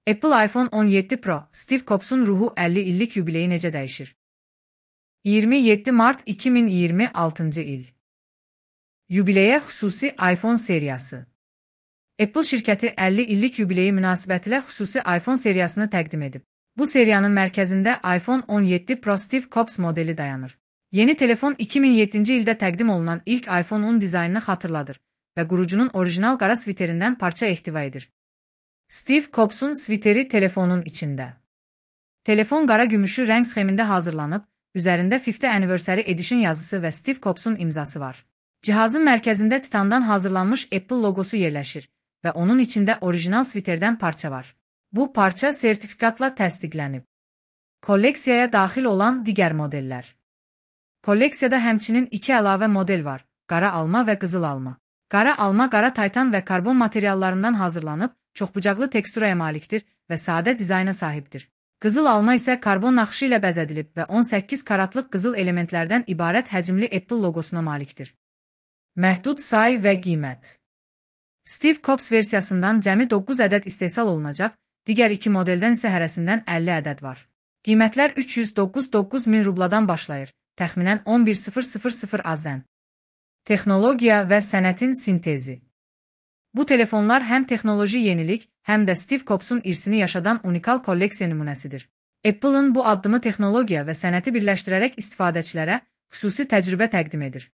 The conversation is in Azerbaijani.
Apple iPhone 17 Pro, Steve Jobs'un ruhu 50 illik yubileyi necə dəyişir? 27 Mart 2026 il. Yubileyə xüsusi iPhone seriyası. Apple şirkəti 50 illik yubileyi münasibətilə xüsusi iPhone seriyasını təqdim edib. Bu seriyanın mərkəzində iPhone 17 Pro Steve Jobs modeli dayanır. Yeni telefon 2007-ci ildə təqdim olunan ilk iPhone-un dizaynını xatırladır və qurucunun orijinal qara sviterindən parça ehtiva edir. Steve Jobs'un sviteri telefonun içində. Telefon qara gümüşü rəng sxemində hazırlanıb, üzərində 50th Anniversary Edition yazısı və Steve Jobs'un imzası var. Cihazın mərkəzində titandan hazırlanmış Apple logosu yerləşir və onun içində orijinal sviterdən parça var. Bu parça sertifikatla təsdiqlənib. Kolleksiyaya daxil olan digər modellər. Kolleksiyada həmçinin 2 əlavə model var: qara alma və qızıl alma. Qara alma qara taytan və karbon materiallarından hazırlanıb, çoxbucaqlı teksturaya malikdir və sadə dizayna sahibdir. Qızıl alma isə karbon naxışı ilə bəzədilib və 18 karatlıq qızıl elementlərdən ibarət həcmli Apple logosuna malikdir. Məhdud say və qiymət. Steve Jobs versiyasından cəmi 9 ədəd istehsal olunacaq, digər 2 modeldən isə hərəsindən 50 ədəd var. Qiymətlər 309 min rubladan başlayır, təxminən 11.000 AZN. Texnologiya və sənətin sintezi. Bu telefonlar həm texnoloji yenilik, həm də Steve Jobs'un irsini yaşadan unikal kolleksiya nümunəsidir. Apple'ın bu addımı texnologiya və sənəti birləşdirərək istifadəçilərə xüsusi təcrübə təqdim edir.